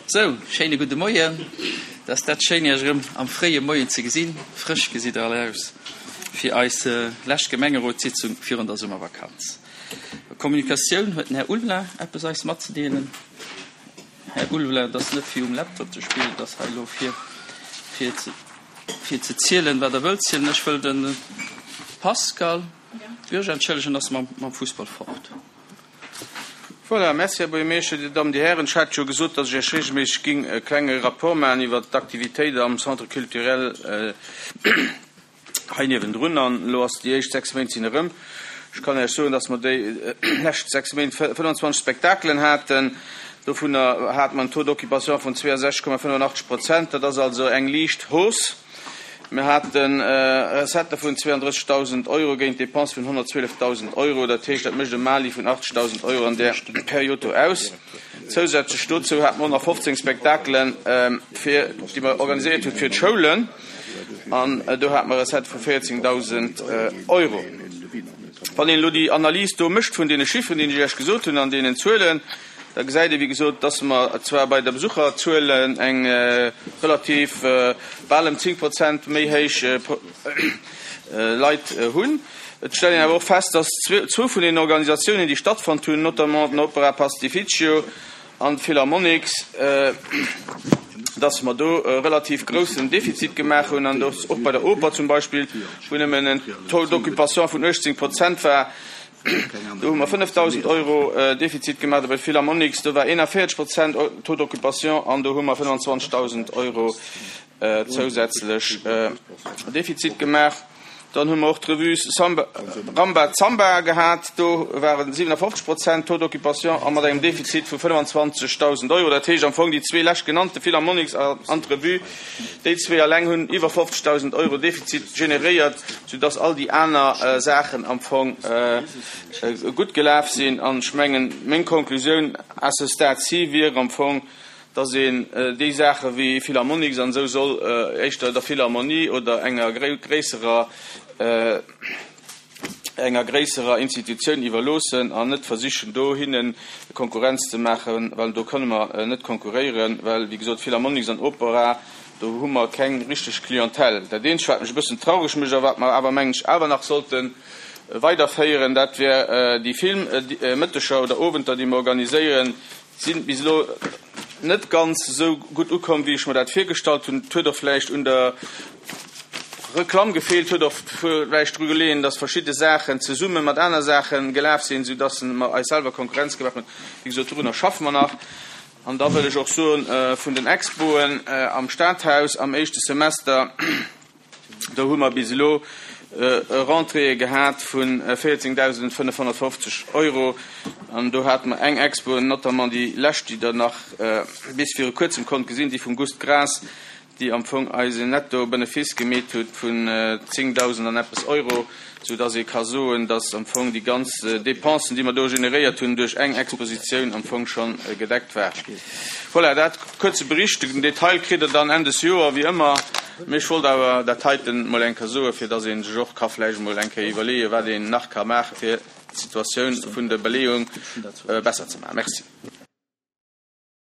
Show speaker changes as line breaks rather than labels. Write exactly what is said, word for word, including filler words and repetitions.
Sou, schéine gudde Moien. Et ass dat schéin, Iech erëm am fréie Moien ze gesinn. Frësch gesitt Der all aus fir eis lescht Gemengerotssitzung virun der Summervakanz. Kommunikatioun, huet den Här Ulveling eppes eis matzedeelen? Här Ulveling, et ass net fir um Laptop ze spillen, et ass hei elo fir, fir ze, fir ze zielen, wat Der wëllt zielen. Ech wëll de Pascal Bürger entschëllegen, ass mam, mam Fussball fort.
Voilà, merci, Här Buergermeeschter, Dir Dammen, Dir Hären. Ech hat jo gesot, datt ech Iech regelméisseg ging e klenge Rapport maachen iwwert d'Aktivitéit am Centre culturel hei niewendrun. An elo ass déi éischt sechs Méint sinn erëm. Ech kann Iech soen, datt mer déi lescht sechs Méint fënnwanzwanzeg Spektakelen haten. Dovunner hate mer en Taux d'occupation vun zweeënsechzeg Komma fënnefenachtzeg Prozent. Dat ass also eng liicht Hausse. Mir hate Recettë vun zweeëndrëssegdausend Euro géint Dépense vun honnertzwielefdausend Euro. Dat heescht, dat mécht e Mali vun achtzegdausend Euro an där Period do aus. Zousätzlech dozou hate mer honnertfofzéng Spektakelen, fir, déi mer organiséiert hunn fir d'Schoulen, an do hate mer Recettë vu véierzéngdausend Euro. Wann een elo déi Analys do mécht vun deene Chiffren, déi ech Iech gesot hunn, an deenen Zuelen, da gesäit ee wéi gesot, dass mer zwar bei der Besucherzuel eng relativ bal ëm zéng Prozent méi héich Leit hunn. Et stellt een awer och fest, dass zwou vun deenen Organisatiounen, déi stattfonnt hunn, notamment den Opera Pastificio an d'Philharmonics, dass mer do e relativ groussen Defizit gemaach hunn an dass och bei der Oper zum Beispill, wou nëmmen en Taux d'occupation vun uechtzéng Prozent war, do hu mer fënnefdausend Euro Defizit gemaach. A bei Philharmonics, do war eenanvéierzeg Prozent Taux d'occupation an do hu mer fënnwanzwanzegdausend Euro zousätzlech Defizit gemaach. Dann hu mer och d'Revue Samba, Ramba Zamba gehat, do waren siwenafofzeg Prozent Taux d'occupation a mat engem Defizit vu fënnwanzwanzegdausend Euro. Dat heescht am Fong déi zwee leschtgenannte, Philharmonics an d'Revue, déi zwee alleng hunn iwwer fofzegdausend Euro Defizit generéiert, soudass all déi aner Saachen am Fong gutt gelaf sinn. An ech mengen, meng Konklusioun à ce stade-ci wier am Fong, dass een déi Saache wéi Philharmonics an esou soll éischter der Philharmonie oder enger gréisserer, enger gréisserer Institutioun iwwerloossen an net versichen do hinne Konkurrenz ze maachen, well do kënne mer net konkurréieren, well wéi gesot Philharmonics an Opera, do hu mer keng richteg Clientèle. Dat Eenzegt wat mech e bëssen traureg mécht a wat mer awer mengen ech awer nach sollte weiderféieren, dat wär déi Filmmëtteger oder Owenter, déi mer organiséieren, sinn bis elo net ganz esou gutt ukomm, wéi ech mer dat virgestallt hunn. Et huet och vläicht un der Reklamm gefeelt, huet och vläicht dru geleeën, dass verschidde Saachen zesumme mat aner Saache gelaf sinn, soudass mer eis selwer Konkurrenz gemaach hunn. Wéi gesot, dorunner schaffe mer nach. An da wëll ech och soen, vun den Expoen am Stadhaus am éischte Semester, do hu mer bis elo Rentréeë gehat vu véierzéngdausendfënnefhonnertfofzeg Euro. An do hate mer eng Expo, notamment déi lescht, déi Der nach bis viru Kuerzem konnt gesinn, déi vum Gust Graas, déi am Fong eis en Netto-Benefice gemeet huet vun zéngdausend an eppes Euro, soudass ee ka soen, dass am Fong déi ganz Dépensen, déi mer do generéiert hunn duerch eng Expositioun, am Fong scho gedeckt waren. Voilà, dat kuerze Bericht. Den Detail kritt Der dann Enn des Joer, wéi ëmmer. Mee ech wollt awer dat heiten emol eng Kéier soen, fir dass ee sech och ka vläicht emol eng Kéier iwwerleeën, wat een nach ka maachen, fir d'Situatioun vun der Beleeung besser ze maachen. Merci.